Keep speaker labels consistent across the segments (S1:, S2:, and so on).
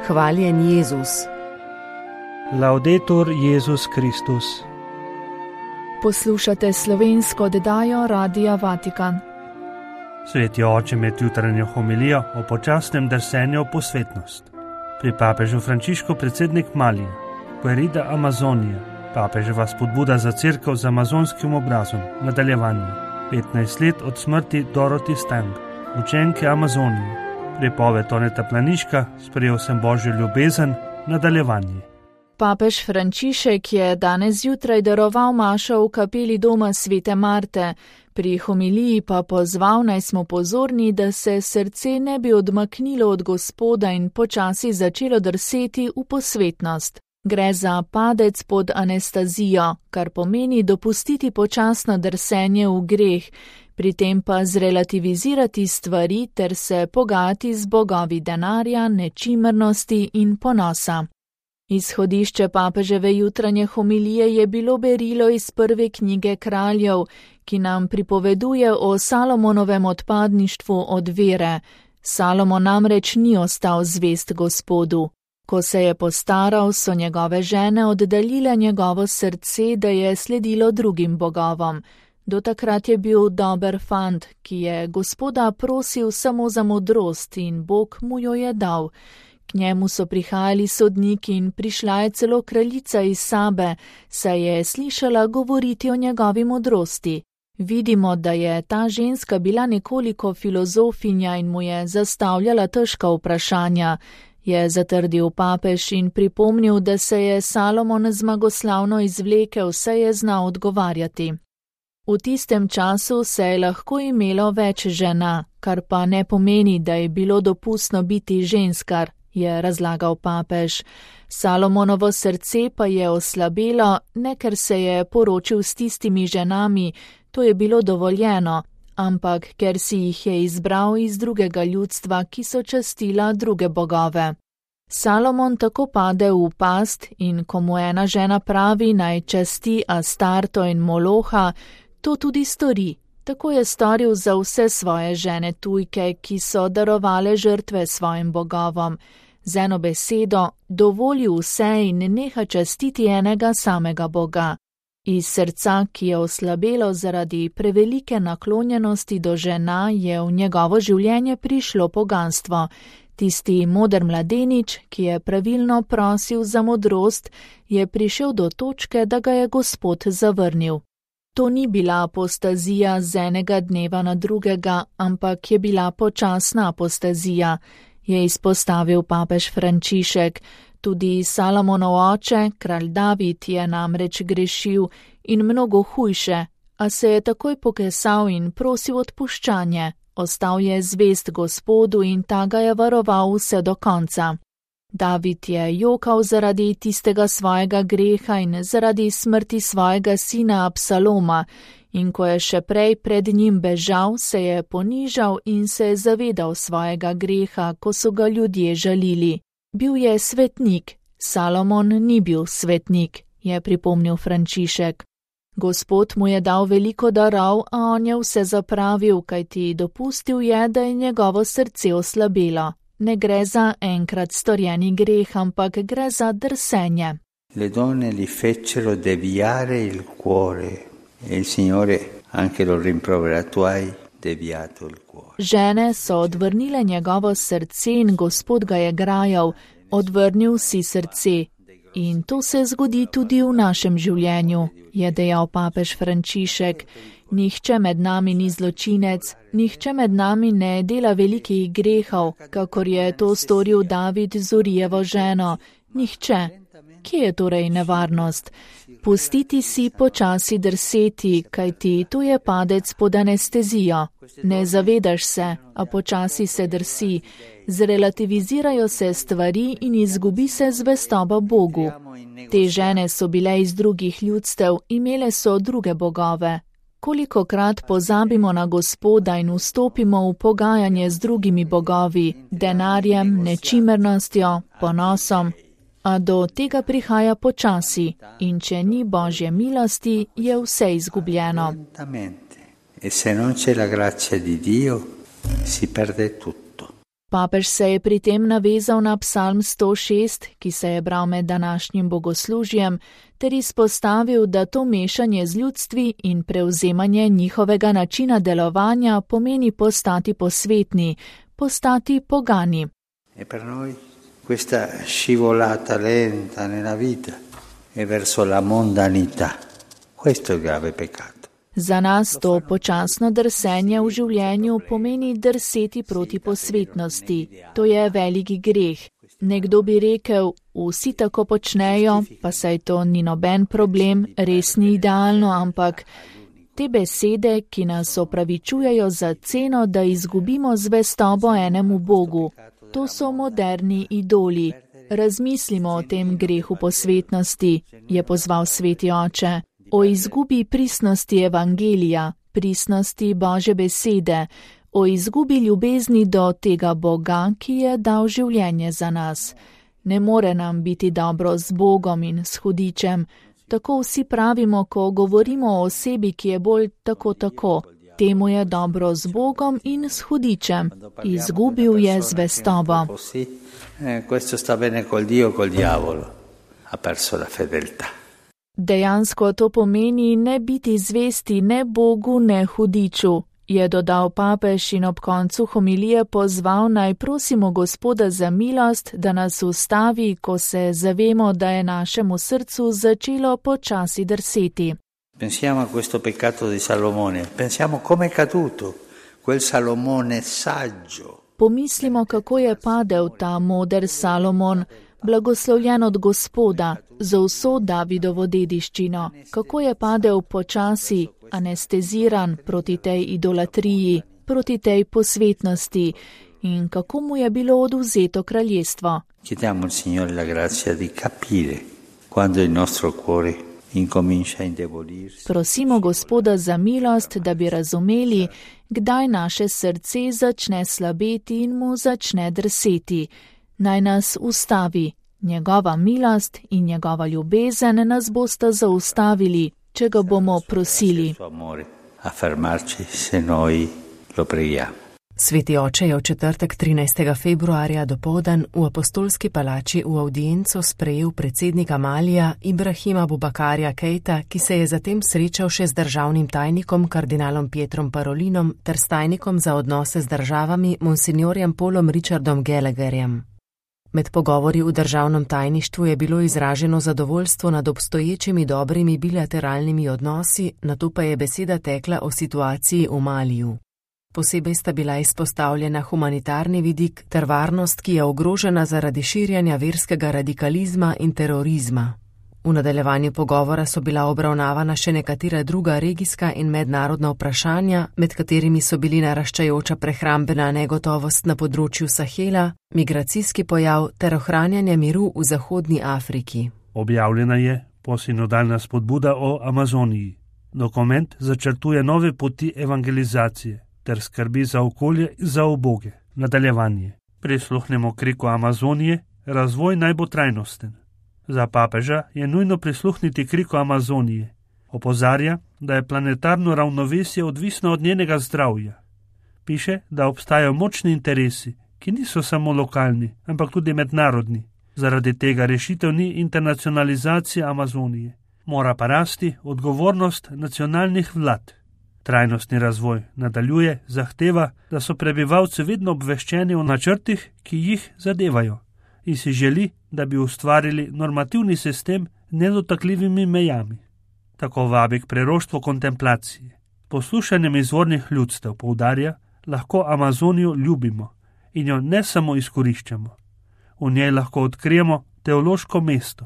S1: Hvaljen Jezus.
S2: Laudetur Jezus Kristus.
S3: Poslušate slovensko oddajo Radia Vatikan.
S2: Sveti oče med jutranjo homilijo o počasnem drsenju v posvetnost. Pri papežu Frančišku predsednik Malija, Querida Amazonija, papeževa spodbuda za cerkev z amazonskim obrazom, nadaljevanje. 15 let od smrti Dorothy Stang, učenke Amazonije, pripoved Toneta Planiška, sprejel sem Božjo ljubezen, nadaljevanje.
S3: Papež Frančišek je danes zjutraj daroval mašo v kapeli doma Svete Marte, pri homiliji pa pozval, naj smo pozorni, da se srce ne bi odmaknilo od Gospoda in počasi začelo drseti v posvetnost. Gre za padec pod anestazijo, kar pomeni dopustiti počasno drsenje v greh, pri tem pa zrelativizirati stvari ter se pogajati z bogovi denarja, nečimrnosti in ponosa. Izhodišče papeževe jutranje homilije je bilo berilo iz prve knjige Kraljev, ki nam pripoveduje o Salomonovem odpadništvu od vere. Salomon namreč ni ostal zvest Gospodu. Ko se je postaral, so njegove žene oddaljile njegovo srce, da je sledilo drugim bogovom. Do takrat je bil dober fant, ki je Gospoda prosil samo za modrost in Bog mu jo je dal. K njemu so prihajali sodniki in prišla je celo kraljica iz Sabe, saj je slišala govoriti o njegovi modrosti. Vidimo, da je ta ženska bila nekoliko filozofinja in mu je zastavljala težka vprašanja, je zatrdil papež in pripomnil, da se je Salomon zmagoslavno izvlekel, saj je znal odgovarjati. V tistem času se je lahko imelo več žena, kar pa ne pomeni, da je bilo dopustno biti ženskar, je razlagal papež. Salomonovo srce pa je oslabelo, ne ker se je poročil s tistimi ženami, to je bilo dovoljeno, ampak ker si jih je izbral iz drugega ljudstva, ki so častila druge bogove. Salomon tako pade v past in ko mu ena žena pravi, naj časti Astarto in Moloha, to tudi stori. Tako je storil za vse svoje žene tujke, ki so darovale žrtve svojim bogovom. Z eno besedo, dovoli vse in neha častiti enega samega Boga. Iz srca, ki je oslabelo zaradi prevelike naklonjenosti do žena, je v njegovo življenje prišlo poganstvo. Tisti moder mladenič, ki je pravilno prosil za modrost, je prišel do točke, da ga je Gospod zavrnil. To ni bila apostazija z enega dneva na drugega, ampak je bila počasna apostazija, je izpostavil papež Frančišek. Tudi Salomonov oče, kralj David, je namreč grešil in mnogo hujše, a se je takoj pokesal in prosil odpuščanje. Ostal je zvest Gospodu in ta ga je varoval vse do konca. David je jokal zaradi tistega svojega greha in zaradi smrti svojega sina Absaloma, in ko je še prej pred njim bežal, se je ponižal in se je zavedal svojega greha, ko so ga ljudje žalili. Bil je svetnik, Salomon ni bil svetnik, je pripomnil Frančišek. Gospod mu je dal veliko darov, a on je vse zapravil, kajti dopustil je, da je njegovo srce oslabelo. Ne gre za enkrat storjeni greh, ampak gre za drsenje.
S4: Le donne li fecero deviare il cuore e il Signore anche lo rimprovera, tu hai deviato il cuore.
S3: Žene so odvrnile njegovo srce in Gospod ga je grajal, odvrnil si srce. In to se zgodi tudi v našem življenju, je dejal papež Frančišek. Nihče med nami ni zločinec, nihče med nami ne dela velikih grehov, kakor je to storil David z Urijevo ženo. Nihče. Kje je torej nevarnost? Pustiti si počasi drseti, kajti tu je padec pod anestezijo. Ne zavedaš se, a počasi se drsi. Zrelativizirajo se stvari in izgubi se zvestoba Bogu. Te žene so bile iz drugih ljudstev, imele so druge bogove. Kolikokrat pozabimo na Gospoda in vstopimo v pogajanje z drugimi bogovi, denarjem, nečimrnostjo, ponosom, a do tega prihaja počasi in če ni Božje milosti, je vse izgubljeno.
S4: E se non c'è la grazia di Dio, si perde tutto.
S3: Papež se je pri tem navezal na psalm 106, ki se je bral med današnjim bogoslužjem, ter izpostavil, da to mešanje z ljudstvi in prevzemanje njihovega načina delovanja pomeni postati posvetni, postati pogani.
S4: E per noi questa scivolata lenta nella vita e verso la mondanità. Questo è il grave peccato.
S3: Za nas to počasno drsenje v življenju pomeni drseti proti posvetnosti. To je veliki greh. Nekdo bi rekel, vsi tako počnejo, pa saj to ni noben problem, res ni idealno, ampak te besede, ki nas opravičujejo za ceno, da izgubimo zvestobo enemu Bogu, to so moderni idoli. Razmislimo o tem grehu posvetnosti, je pozval sveti oče. O izgubi pristnosti evangelija, pristnosti Božje besede, o izgubi ljubezni do tega Boga, ki je dal življenje za nas. Ne more nam biti dobro z Bogom in s hudičem. Tako vsi pravimo, ko govorimo o osebi, ki je bolj tako. Temu je dobro z Bogom in s hudičem. Izgubil je zvestobo.
S4: Questo sta bene col Dio, col diavolo. Ha perso la fedeltà.
S3: Dejansko to pomeni ne biti zvesti ne Bogu, ne hudiču, je dodal papež in ob koncu homilije pozval naj prosimo Gospoda za milost, da nas ustavi, ko se zavemo, da je našemu srcu začelo počasi drseti.
S4: Pensiamo a questo peccato di Salomone, pensiamo come è caduto quel Salomone saggio.
S3: Pomislimo, kako je padel ta moder Salomon, blagoslovljen od Gospoda, za vso Davidovo dediščino, kako je padel počasi, anesteziran proti tej idolatriji, proti tej posvetnosti in kako mu je bilo odvzeto kraljestvo.
S4: Chiediamo al Signore la grazia di capire quando il nostro cuore incomincia a indebolirsi.
S3: Prosimo Gospoda za milost, da bi razumeli, kdaj naše srce začne slabeti in mu začne drseti. Naj nas ustavi. Njegova milost in njegova ljubezen nas bosta zaustavili, če ga bomo prosili.
S1: Sveti oče je v četrtek 13. februarja dopoldan v apostolski palači v avdienco sprejel predsednika Malija Ibrahima Bubakarja Keita, ki se je zatem srečal še z državnim tajnikom kardinalom Pietrom Parolinom ter s tajnikom za odnose z državami monsignorjem Paulom Richardom Gallagherjem. Med pogovori v državnem tajništvu je bilo izraženo zadovoljstvo nad obstoječimi dobrimi bilateralnimi odnosi, nato pa je beseda tekla o situaciji v Maliju. Posebej sta bila izpostavljena humanitarni vidik ter varnost, ki je ogrožena zaradi širjanja verskega radikalizma in terorizma. V nadaljevanju pogovora so bila obravnavana še nekatera druga regijska in mednarodna vprašanja, med katerimi so bili naraščajoča prehrambena negotovost na področju Sahela, migracijski pojav ter ohranjanje miru v Zahodni Afriki.
S2: Objavljena je posinodalna spodbuda o Amazoniji. Dokument začrtuje nove poti evangelizacije ter skrbi za okolje in za uboge. Nadaljevanje. Prisluhnemo kriku Amazonije, razvoj naj bo trajnosten. Za papeža je nujno prisluhniti kriku Amazonije. Opozarja, da je planetarno ravnovesje odvisno od njenega zdravja. Piše, da obstajajo močni interesi, ki niso samo lokalni, ampak tudi mednarodni. Zaradi tega rešitev ni internacionalizacije Amazonije. Mora pa rasti odgovornost nacionalnih vlad. Trajnostni razvoj nadaljuje, zahteva, da so prebivalci vedno obveščeni o načrtih, ki jih zadevajo, in si želi, da bi ustvarili normativni sistem z nedotakljivimi mejami. Tako vabi k preroštvu kontemplacije. Poslušanjem izvornih ljudstev poudarja, lahko Amazonijo ljubimo in jo ne samo izkoriščamo. V njej lahko odkrijemo teološko mesto,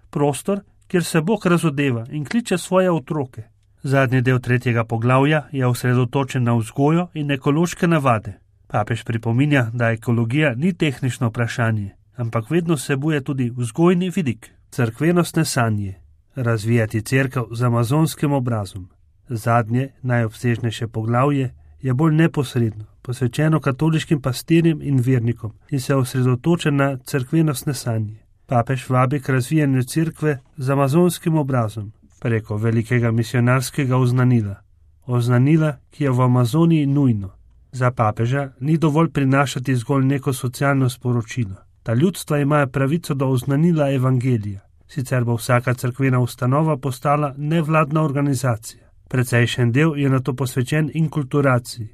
S2: prostor, kjer se Bog razodeva in kliče svoje otroke. Zadnji del 3. poglavja je osredotočen na vzgojo in ekološke navade. Papež pripominja, da ekologija ni tehnično vprašanje, ampak vedno vsebuje tudi vzgojni vidik, cerkvenostne sanje, razvijati cerkev z amazonskim obrazom. Zadnje, najobsežnejše poglavje je bolj neposredno, posvečeno katoliškim pastirjem in vernikom in se osredotoča na cerkvenostne sanje. Papež vabi k razvijanju cerkve z amazonskim obrazom preko velikega misionarskega oznanila, ki je v Amazoniji nujno. Za papeža ni dovolj prinašati zgolj neko socialno sporočilo. Ta ljudstva imajo pravico do oznanila evangelija, sicer bo vsaka cerkvena ustanova postala nevladna organizacija. Precejšen del je na to posvečen inkulturaciji.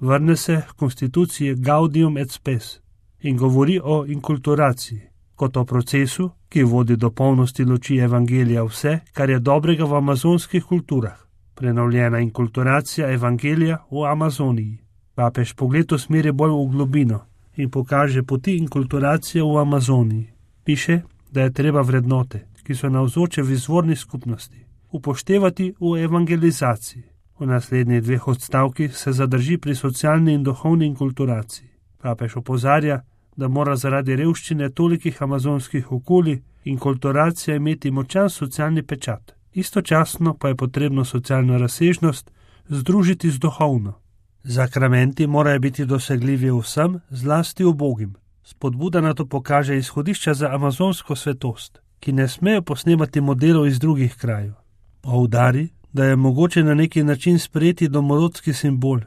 S2: Vrne se k konstituciji Gaudium et Spes in govori o inkulturaciji, kot o procesu, ki vodi do polnosti luči evangelija vse, kar je dobrega v amazonskih kulturah. Prenovljena inkulturacija evangelija v Amazoniji. Papež pogled usmeri bolj v globino in pokaže poti inkulturacije v Amazoniji. Piše, da je treba vrednote, ki so navzoče v izvorni skupnosti, upoštevati v evangelizaciji. V naslednjih 2 odstavkih se zadrži pri socialni in duhovni inkulturaciji. Papež opozarja, da mora zaradi revščine tolikih amazonskih okolij inkulturacija imeti močan socialni pečat. Istočasno pa je potrebno socialno razsežnost združiti z duhovno. Zakramenti morajo biti dosegljivi vsem, zlasti ubogim. Spodbuda na to pokaže izhodišča za amazonsko svetost, ki ne smejo posnemati modelov iz drugih krajev. Poudari, da je mogoče na neki način sprejeti domorodski simbol,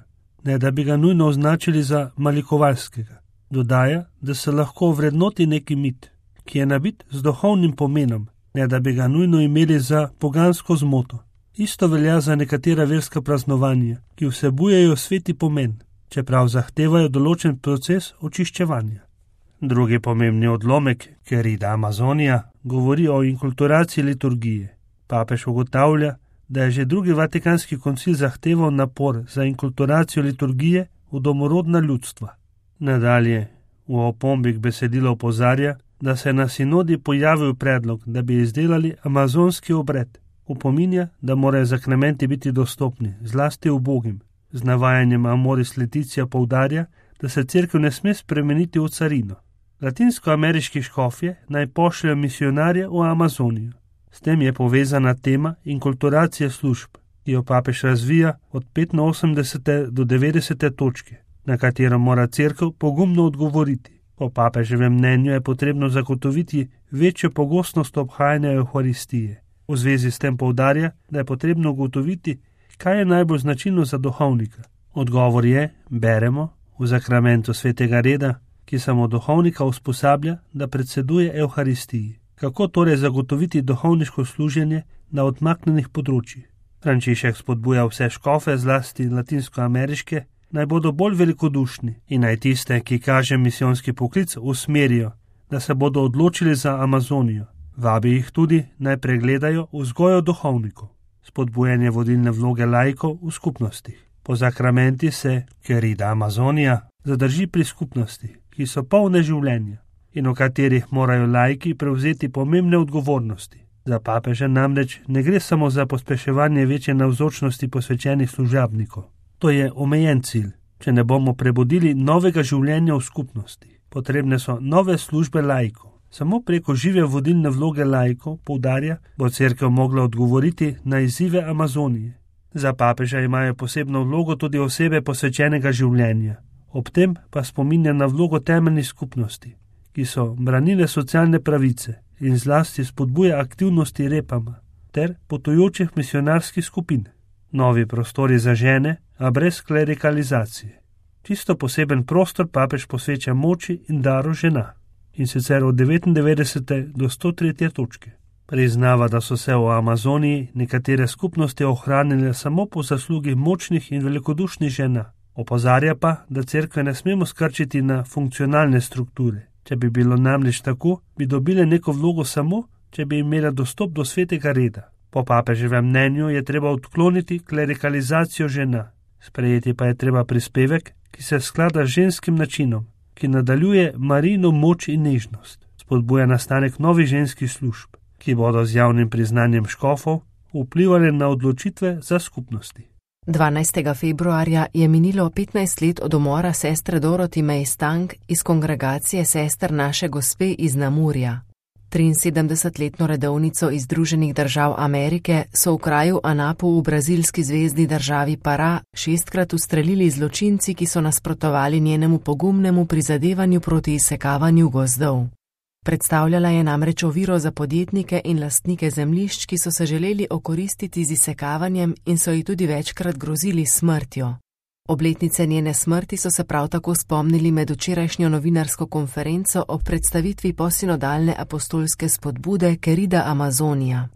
S2: ne da bi ga nujno označili za malikovalskega. Dodaja, da se lahko vrednoti neki mit, ki je nabit z duhovnim pomenom, ne da bi ga nujno imeli za pogansko zmoto. Isto velja za nekatera verska praznovanja, ki vsebujejo sveti pomen, čeprav zahtevajo določen proces očiščevanja. Drugi pomembni odlomek, Querida Amazonija, govori o inkulturaciji liturgije. Papež ugotavlja, da je že drugi Vatikanski koncil zahteval napor za inkulturacijo liturgije v domorodna ljudstva. Nadalje, v opombi k besedilu opozarja, da se je na sinodi pojavil predlog, da bi izdelali amazonski obred. Upominja, da morajo zakramenti biti dostopni, zlasti ubogim. Z navajanjem Amoris Laetitia poudarja, da se cerkev ne sme spremeniti v carino. Latinskoameriški škofje naj pošljajo misionarje v Amazonijo. S tem je povezana tema inkulturacije služb, ki jo papež razvija od 85. do 90. točke, na katero mora cerkev pogumno odgovoriti. Po papeževem mnenju je potrebno zagotoviti večjo pogostnost obhajanja Evharistije. V zvezi s tem poudarja, da je potrebno ugotoviti, kaj je najbolj značilno za duhovnika. Odgovor je, beremo, v zakramentu svetega reda, ki samo duhovnika usposablja, da predseduje Evharistiji. Kako torej zagotoviti duhovniško služenje na odmaknjenih področjih? Frančišek spodbuja vse škofe, zlasti latinskoameriške, naj bodo bolj velikodušni in naj tiste, ki kaže misijonski poklic, usmerijo, da se bodo odločili za Amazonijo. Vabi jih tudi, naj pregledajo vzgojo duhovnikov, spodbujanje vodilne vloge laikov v skupnostih. Po zakramenti se Querida Amazonija zadrži pri skupnosti, ki so polne življenja in v katerih morajo laiki prevzeti pomembne odgovornosti. Za papeža namreč ne gre samo za pospeševanje večje navzočnosti posvečenih služabnikov. To je omejen cilj, če ne bomo prebudili novega življenja v skupnosti. Potrebne so nove službe laikov. Samo preko žive vodilne vloge laikov, poudarja, bo cerkev mogla odgovoriti na izzive Amazonije. Za papeža imajo posebno vlogo tudi osebe posvečenega življenja. Ob tem pa spominja na vlogo temeljnih skupnosti, ki so branile socialne pravice in zlasti spodbuja aktivnosti repama ter potujočih misionarskih skupin. Novi prostori za žene, a brez klerikalizacije. Čisto poseben prostor papež posveča moči in daru žena, in sicer od 99. do 103. točke. Priznava, da so se v Amazoniji nekatere skupnosti ohranile samo po zaslugi močnih in velikodušnih žena. Opozarja pa, da cerkve ne smemo skrčiti na funkcionalne strukture. Če bi bilo namreč tako, bi dobile neko vlogo samo, če bi imela dostop do svetega reda. Po papeževem mnenju je treba odkloniti klerikalizacijo žena. Sprejeti pa je treba prispevek, ki se sklada z ženskim načinom, ki nadaljuje Marijino moč in nežnost, spodbuja nastanek novih ženskih služb, ki bodo z javnim priznanjem škofov vplivali na odločitve za skupnosti.
S1: 12. februarja je minilo 15 let od umora sestre Dorothy May Stank iz kongregacije sester Naše Gospe iz Namurja. 73-letno redovnico iz Združenih držav Amerike so v kraju Anapu v brazilski zvezni državi Pará 6-krat ustrelili zločinci, ki so nasprotovali njenemu pogumnemu prizadevanju proti izsekavanju gozdov. Predstavljala je namreč oviro za podjetnike in lastnike zemljišč, ki so se želeli okoristiti z izsekavanjem in so ji tudi večkrat grozili smrtjo. Obletnice njene smrti so se prav tako spomnili med včerajšnjo novinarsko konferenco ob predstavitvi posinodalne apostolske spodbude Querida Amazonija.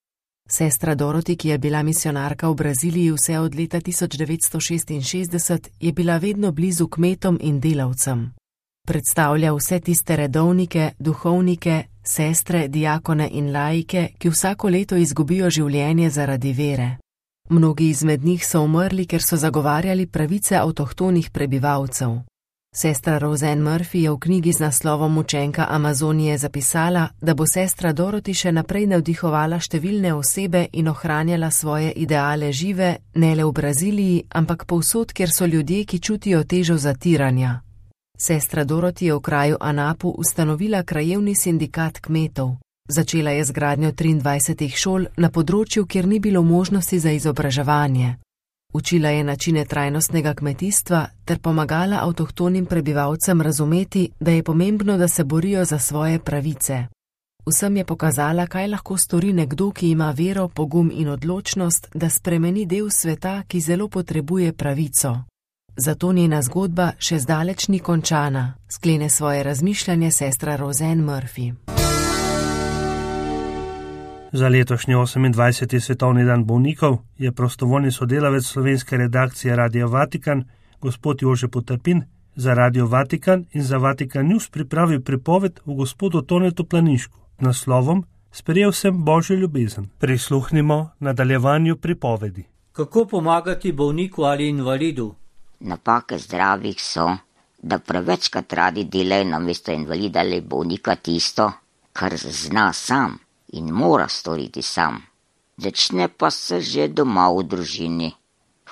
S1: Sestra Dorothy, ki je bila misionarka v Braziliji vse od leta 1966, je bila vedno blizu kmetom in delavcem. Predstavlja vse tiste redovnike, duhovnike, sestre, diakone in laike, ki vsako leto izgubijo življenje zaradi vere. Mnogi izmed njih so umrli, ker so zagovarjali pravice avtohtonih prebivalcev. Sestra Roseanne Murphy je v knjigi z naslovom Učenka Amazonije zapisala, da bo sestra Dorothy še naprej navdihovala številne osebe in ohranjala svoje ideale žive, ne le v Braziliji, ampak povsod, kjer so ljudje, ki čutijo težo zatiranja. Sestra Dorothy je v kraju Anapu ustanovila krajevni sindikat kmetov. Začela je z gradnjo 23 šol na področju, kjer ni bilo možnosti za izobraževanje. Učila je načine trajnostnega kmetijstva ter pomagala avtohtonim prebivalcem razumeti, da je pomembno, da se borijo za svoje pravice. Vsem je pokazala, kaj lahko stori nekdo, ki ima vero, pogum in odločnost, da spremeni del sveta, ki zelo potrebuje pravico. Zato njena zgodba še zdaleč ni končana, sklene svoje razmišljanje sestra Roseanne Murphy.
S2: Za letošnji 28. svetovni dan bolnikov je prostovoljni sodelavec slovenske redakcije Radia Vatikan, gospod Jože Potrpin, za Radio Vatikan in za Vatikan News pripravil pripoved o gospodu Tonetu Planinšku z naslovom Sprejel sem Božjo ljubezen. Prisluhnimo nadaljevanju pripovedi.
S5: Kako pomagati bolniku ali invalidu?
S6: Napake zdravih so, da prevečkrat radi delajo namesto invalida ali bolnika tisto, kar zna sam in mora storiti sam. Začne pa se že doma v družini.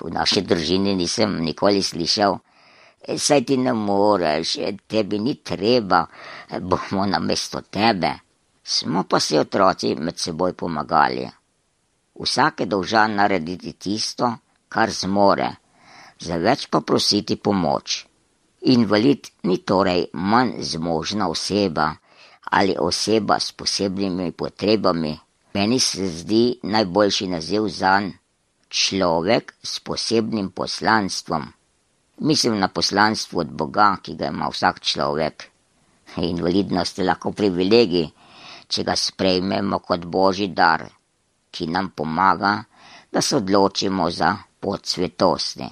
S6: V naši družini nisem nikoli slišal, saj ti ne moreš, tebi ni treba, bomo namesto tebe. Smo pa si otroci med seboj pomagali. Vsak je dolžan narediti tisto, kar zmore, za več pa prositi pomoč. Invalid ni torej manj zmožna oseba ali oseba s posebnimi potrebami. Meni se zdi najboljši naziv zanj človek s posebnim poslanstvom. Mislim na poslanstvo od Boga, ki ga ima vsak človek. Invalidnost je lahko privilegij, če ga sprejmemo kot Božji dar, ki nam pomaga, da se odločimo za pot svetosti.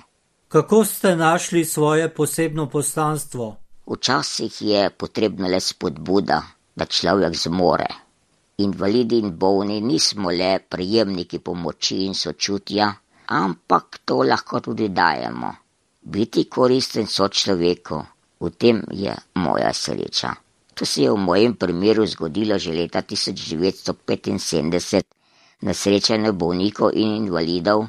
S5: Kako ste našli svoje posebno poslanstvo?
S6: Včasih je potrebna le spodbuda, da človek zmore. Invalidi in bolni nismo le prejemniki pomoči in sočutja, ampak to lahko tudi dajemo. Biti koristen sočloveku, v tem je moja sreča. To se je v mojem primeru zgodilo že leta 1975 na srečanju bolnikov in invalidov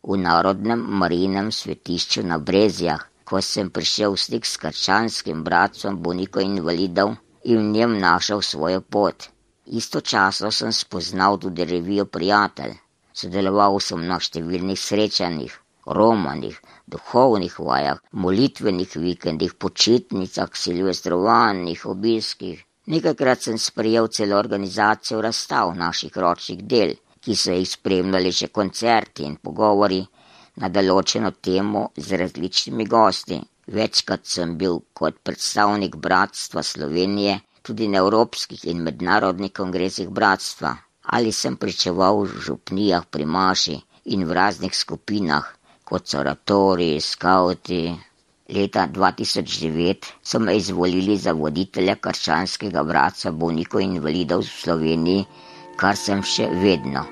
S6: v Narodnem Marijinem svetišču na Brezjah, ko sem prišel v stik s krščanskim bratstvom bolnikov in invalidov in v njem našel svojo pot. Istočasno sem spoznal tudi revijo Prijatelj. Sodeloval sem na številnih srečanjih, romanih, duhovnih vajah, molitvenih vikendih, počitnicah, silvestrovanjih, obiskih. Nekajkrat sem sprejel celo organizacijo razstav naših ročnih del, ki so jih spremljali še koncerti in pogovori na določeno temo z različnimi gosti. Večkrat sem bil kot predstavnik Bratstva Slovenije tudi na evropskih in mednarodnih kongresih bratstva. Ali sem pričeval v župnijah pri maši in v raznih skupinah, kot so oratoriji, skauti. Leta 2009 so me izvolili za voditelja krščanskega bratstva bolnikov in invalidov v Sloveniji, kar sem še vedno.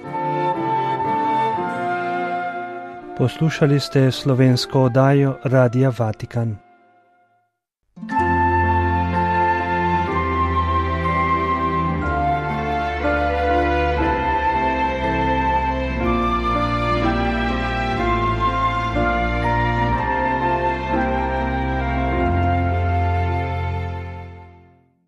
S2: Poslušali ste slovensko oddajo Radia Vatikan.